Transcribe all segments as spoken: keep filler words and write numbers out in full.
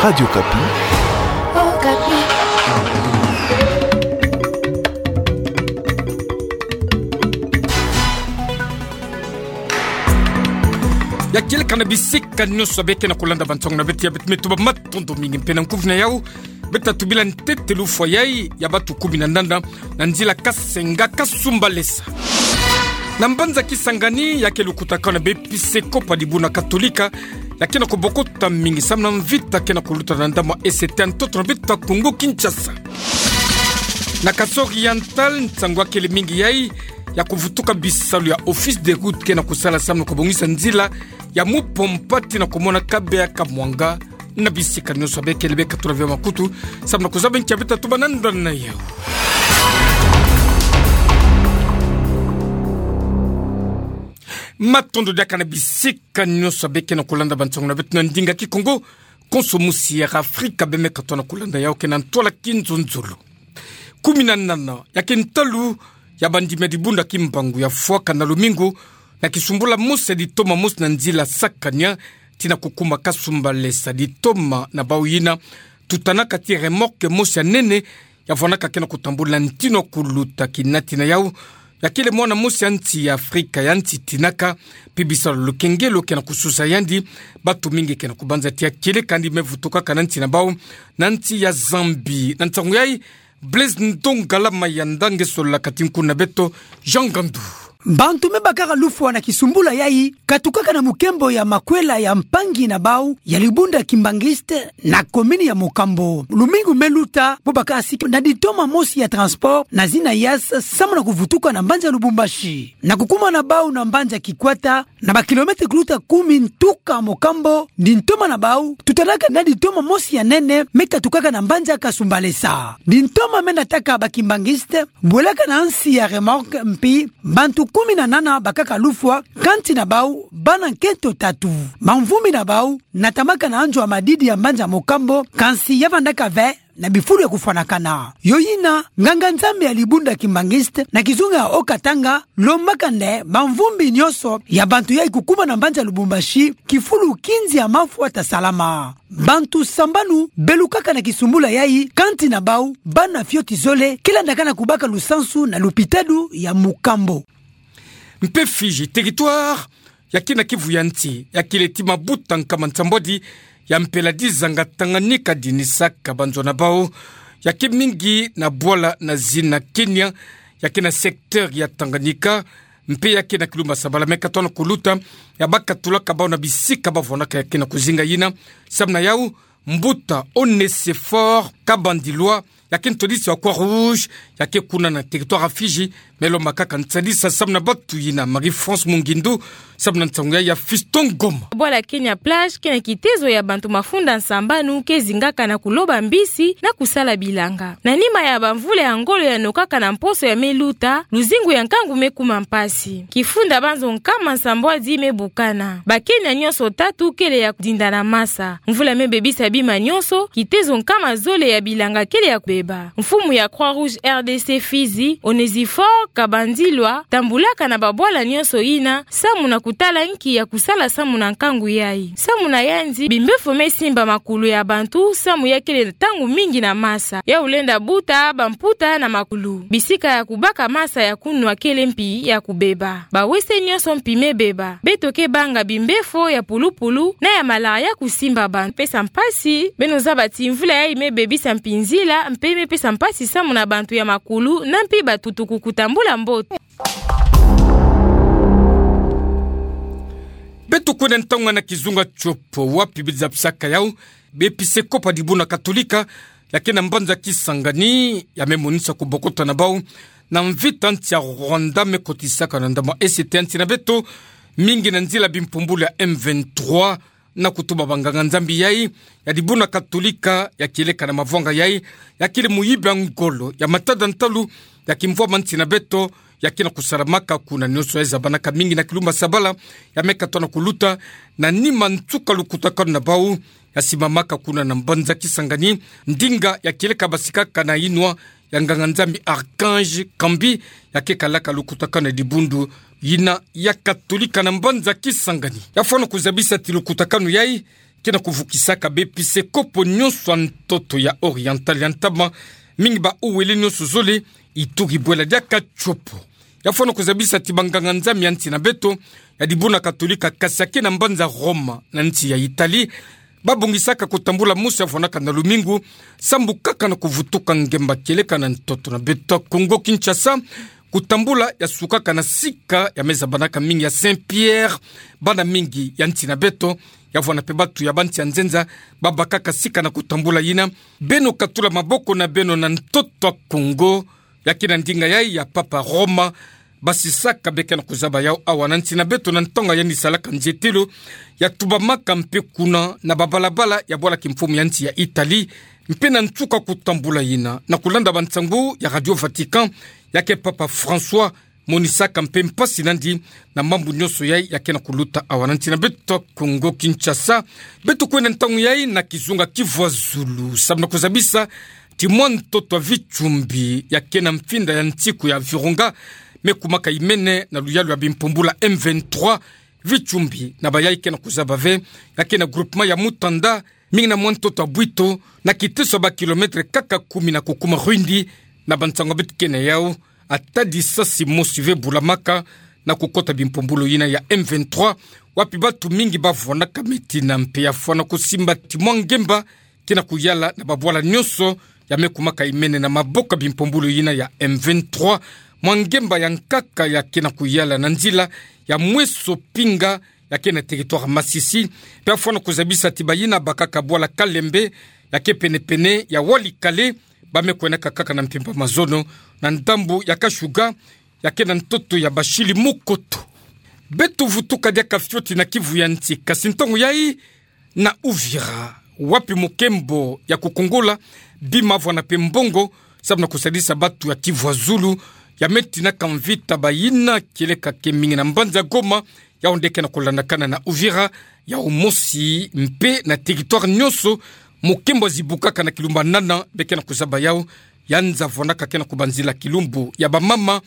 Radio Okapi. Okapi. Ya kieleka na bisika nyonso beke na kolanda bansango na beto ya beto, me tuba matondo mingi mpe na nkufi na yau. Beta tubila ntete lufwa yai ya batu kumi na nana na nzila Kasenga Kasumbalesa. Na mbanza Kisangani, ya ke lukutakano na bepisekopo ya dibundu Katolika, ya ke na kobokota mingi samu na mvita ke na koluta na ndambu ya E C T ya ntoto na beto ya Kongo Kinshasa. Na Kasai Oriental, nsangu ya kele mingi yai ya kovutuka bisalu ya Office des Routes ke na kosala samu na kobongisa nzila ya Mupompa tii na komona Kabeya Kamwanga. Na bisika nyonso beke le beka tula vio makutu samu na kozaba nki ya beta tuba na ndani na yau. Matondo diaka na bisika nyonso beke na kolanda bansango na beto na ndinga Kikongo. Konso musi ya Afrika bemeka tona kolanda yau ke na ntwala kinzonzolo. Kumi na nana ya ke ntalu ya bandimi ya dibundu ya Kimbangu ya fwaka na lumingu na kisumbula mosi ya ditoma mosi na nzila Sakania tii na kukuma Kasumbalesa. Ditoma na bau yina tutanaka tii remorque mosi ya nene ya vwanaka ke na kotambula ntinu ya kuluta. Kinati na yau, ya kele mwana mosi ya nsi ya Afrika ya nsi tinaka, mpe bisalu lukengelo ke na kosusa yandi. Batu mingi ke na kobanza tii ya kieleka yandi me vutukaka na nsi na bau na nsi ya Zambie. Na nsangu yai, Blaise Ndongala Mayanda nge solola kati nkuna na beto, Jean Gandu. Bantu me bakaka lufwa na kisumbula yai katukaka na mukembo ya makwela ya mpangi na bau ya dibundu ya Kimbanguiste na commune ya Mocambo. Lumingu me luta, bo bakasiki na ditoma mosi ya transport na zina Hiace samu na kovutuka na mbanza Lubumbashi. Na kukuma na bau na mbanza Kikwata, na ba kilomètre kuluta kumi ntuka Mocambo, ditoma na bau tutanaka na ditoma mosi ya nene me katukaka na mbanza Kasumbalesa. Ditoma me nataka ba Kimbanguiste bwelaka na nsi ya remorque, mpi bantu kumi na nana bakaka lufwa, kansi na bau bana nkento tatu. Bamvumbi na bau natamaka na anzo ya madidi ya mbanza Mocambo, kansi ya vandaka ve na bifulu ya kofwanakana. Yo yina, nganga-Nzambi ya dibundu ya Kimbanguiste na kizunga ya Haut-Katanga lombaka nde bamvumbi nyonso ya bantu yai kukuma na mbanza Lubumbashi, kifulu kinzi ya mafwa ta salama. Bantu sambanu belukaka na kisumbula yai, kansi na bau bana fioti zole, ke landaka na kobaka lusansu na lupitalu ya Mocambo. Mpe Fidji, territoire ya ke na kivu ya nsi, ya kele ti mabuta nkama nsambwadi ya mpela dizanga Tanganyika dinisaka banzo na bau, ya ke mingi na bwala na zina Kenya, ya ke na secteur ya Tanganyika, mpe ya ke na kilumba Sabala me katono kuluta, ya bakatulaka bau na bisika bavwanaka ya ke na kuzinga yina. Samu na yau, mbuta Onesphore Kabandilwa, ya ke ntwadisi wa Croix-Rouge, ya ke kuna na territoire ya Fidji, me lomba kaka nsadisa samu na batu yina. Marie-France Mungindu, samu na nsangu ya, ya Fiston Ngoma. Bwala Kenya Plage ke na kitezo ya bantu mafunda nsambanu ke zingaka na kuloba mbisi na kusala bilanga. Na nima ya bamvula ya ngolo ya nokaka na mposo ya me luta, luzingu ya nkangu me kuma mpasi. Kifunda banzo nkama nsambwadi me bukana. Ba Kenya nyonso tatu kele ya dinda na masa. Mvula me bebisa bima nyonso, kitezo nkama zole ya bilanga kele ya kubeba. Mfumu ya Croix-Rouge R D C Fidji, Onesphore Kabandilwa, tambulaka na babwala nyonso yina samu na kutala nki ya kusala samu na nkangu yai. Samu na yandi, bimbefo me simba makulu ya bantu samu ya kele ntangu mingi na masa. Yau lenda buta bamputa na makulu. Bisika ya kubaka masa ya kunwa kele mpi ya kubeba. Bawese nyonso mpi me beba. Beto ke banga bimbefo ya pulupulu na ya malaria kusimba bantu. Pesa mpasi, beno zaba ti mvula yai me bebisa mpi nzila, mpe me pesa mpasi samu na bantu ya makulu na mpi batutuku kutambula mbote. Beto kwenda ntangu na kizunga Tshopo, wapi bizapisaka yau bepisekopo ya dibundu Katolika ya ke na mbanza Kisangani, ya me monisa kubokota na bau na mvita nsi ya Rwanda me kotisaka na ndambu ya E C T ya nsi na beto, mingi na nzila bimpumbulu ya M vingt-trois, na kutuba banganga-Nzambi yai ya dibundu Katolika, ya kieleka na mavwanga yai, ya kele muyibi ya ngolo ya matada ntalu ya kimvwama nsi na beto, ya ke na kusalamaka kuna. Nyonso ya zabanaka mingi na kilumba Sabala, ya me katono kuluta, na nima nsuka lukutakanu na bau, ya simamaka kuna na mbanza Kisangani, ndinga ya kieleka basikaka na yinwa ya nganga-Nzambi Archange Kambi, ya ke kalaka lukutakanu ya dibundu yina ya Katolika na mbanza Kisangani. Ya fwana kuzabisa ti lukutakanu yai, ke na kuvukisaka baepiskopo nyonso ya ntoto ya Oriental ya ntama, mingi ba uwele nyonso zole, Ituri, Bwela diaka Tshopo. Ya fwana kuzabisa ti banganga-Nzambi ya nsi na beto ya dibuna Katolika, kasi ya ke na mbanza Roma na nsi ya Italie, babongisaka kutambula mosi ya fwanaka na lumingu, sambu kaka na kuvutuka ngemba kieleka na ntoto na beto ya Congo Kinshasa. Kutambula ya sukaka na sika ya me zabanaka mingi ya Saint-Pierre. Bana mingi ya nsi na beto, ya fwana mpe batu ya bansi ya nzenza, babakaka sika na kutambula yina. Beno katula maboko na beno na ntoto ya Congo. Ya ke na ndinga yai ya Papa Roma basisaka be ke na kuzaba yau awa na nsi na beto na ntangu ya yandi salaka nzietelo, ya tubamaka mpe kuna na babalabala ya bwala kimfumu ya nsi ya Italie, mpe na nsuka kutambula yina, na kulanda bansangu ya Radio Vatican, ya ke Papa François monisaka mpe mpasi na yandi na mambu nyonso yai ya ke na kuluta awa na nsi na beto Congo Kinshasa. Beto kwenda ntangu yai na kizunga Kivu ya Zulu, samu na kuzabisa ti mwa ntoto ya Vitsumbi ya ke na mfinda ya nsiku ya Virunga, me kumaka imene na luyalu ya bimpumbulu ya M vingt-trois. Vitsumbi na bayai ke na kuzaba ve, ya ke na groupement ya Mutanda, mingi na mwa ntoto ya Bwito, na kiteso ya ba kilomètre kaka kumi na kukuma Rwindi. Na bansangu beto ke na yau, ata lisasi mosi ve bulamaka na kukota bimpumbulu yina ya M vingt-trois, wapi batu mingi bavwanaka metina. Mpe ya fwana kusimba ti mwa ngemba ke na kuyala na babwala nyonso ya me kumaka imene na maboko ya bimpumbulu yina ya M vingt-trois. Mwa ngemba ya nkaka ya ke na kuyala na nzila ya Mweso Pinga, ya ke na territoire Masisi. Mpe ya fwana kuzabisa ti bayina bakaka bwala Kalembe, ya ke penepene ya Walikale, ba me kwenaka kaka na mpimpa mazono na ndambu ya Kashuga, ya ke na ntoto ya Bashili Mukoto. Beto vutuka diaka fioti na Kivu ya nsi, kasi ntangu yai na Uvira, wapi mokembo ya kukungola bima, fwana mpe mbongo, samu na kusadisa batu ya Kivu ya Zulu ya me tinaka mvita, bayina kieleka ke mingi na mbanza Goma, yau nde ke na kulandakana na Uvira, yau mosi mpe na territoire nyonso. Mokembo ya zibukaka na kilumbu ya nana, be ke na kuzaba yau, ya nza fwanaka ke na kubanzila kilumbu ya bamama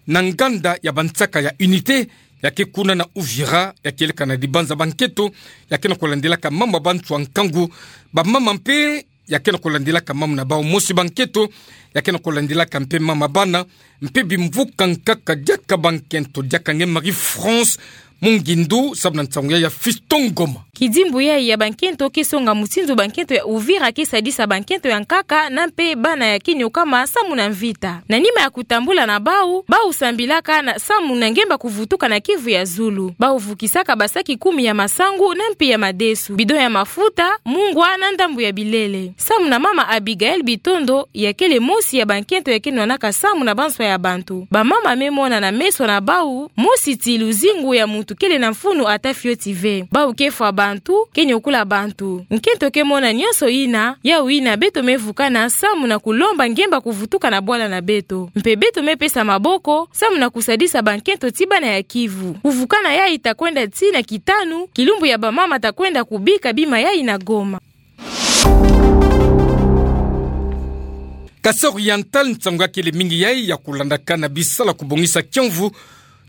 na nganda ya bansaka ya Unité, ya ke kuna na Uvira, ya kieleka na dibanza bankento, ya ke na kulandilaka mama bantu ya nkangu, bamama mpe ya ke na kulandilaka mama na bau mosi bankento, ya ke na kulandilaka mpe mama bana, mpe bimvuka nkaka diaka bankento, diaka nge Marie-France Mungindu, samu na nsangu yai ya Fiston Ngoma. Kidimbu yai ya bankento ke songa mutindu bankento ya Uvira ke sadisa bankento ya nkaka na mpe bana ya ke nyokama samu na mvita. Na nima ya kutambula na bau, bau sambilaka na samu na ngemba kuvutuka na Kivu ya Zulu. Bau vukisaka basaki kumi ya masangu na mpe ya madesu, bidon ya mafuta, mungwa na ndambu ya bilele. Samu na mama Abigaël Bitondo, ya kele mosi ya bankento ya ke nwanaka samu na banswa ya bantu. Bamama me mona na meso na bau mosi ti luzingu ya muntu kele na mfunu ata fioti ve. Bau ke fwa bantu, ke nyokula bantu. Nkento ke mona nyonso yina, yau yina beto me vukana samu na kulomba ngemba kuvutuka na bwala na beto. Mpe beto me pesa maboko samu na kusadisa bankento ti bana ya Kivu. Kuvukana yai ta kwenda tii na kitanu, kilumbu ya bamama ta kwenda kubika bima yai na Goma. Kasai Oriental, nsangu ya kele mingi yai ya kulandakana bisalu ya kubongisa kiamvu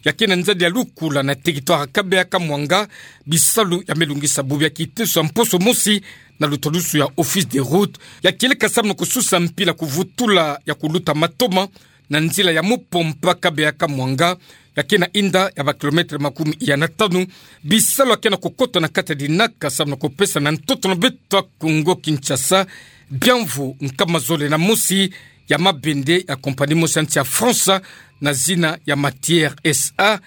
ya ke na nzadi ya lukula na territoire ya Kabeya-Kamwanga. Bisalu ya me lungisa bubu ya kiteso ya mposo mosi na lutalusu ya Office des Routes, ya kieleka samu na kususa mpila kuvutula ya kuluta matoma na nzila ya Mupompa Kabeya-Kamwanga, ya ke na inda ya ba kilomètre makumi ya na tanu. Bisalu ya ke na kukota na kati ya dinaka samu na kupesa na ntoto na beto ya Congo Kinshasa biamvu nkama zole na mosi ya mabende ya compagnie mosi ya nsi ya France na zina ya Matière S A,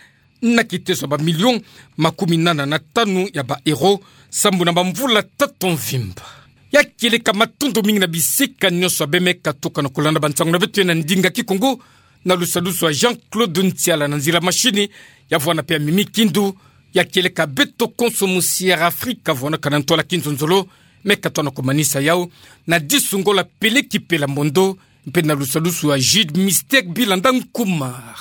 na kiteso ya ba millions makumi nana na tanu ya ba euros, sambu na bamvula tatu mvimba. Ya kieleka, matondo mingi na bisika nyonso ya beno me katuka na kulanda bansangu na beto ya na ndinga Kikongo, na lusadusu ya Jean-Claude Ntiala na nzila machine, ya vwanda mpe ya Mimi Kindu. Ya kieleka, beto konso musi ya Afrika vwandaka na ntwala kinzonzolo, me katuka na kumanisa yau na disu ngola Peleki Pela Mondo, mpe na lusadusu ya Jude Mystère Bilanda Nkumar.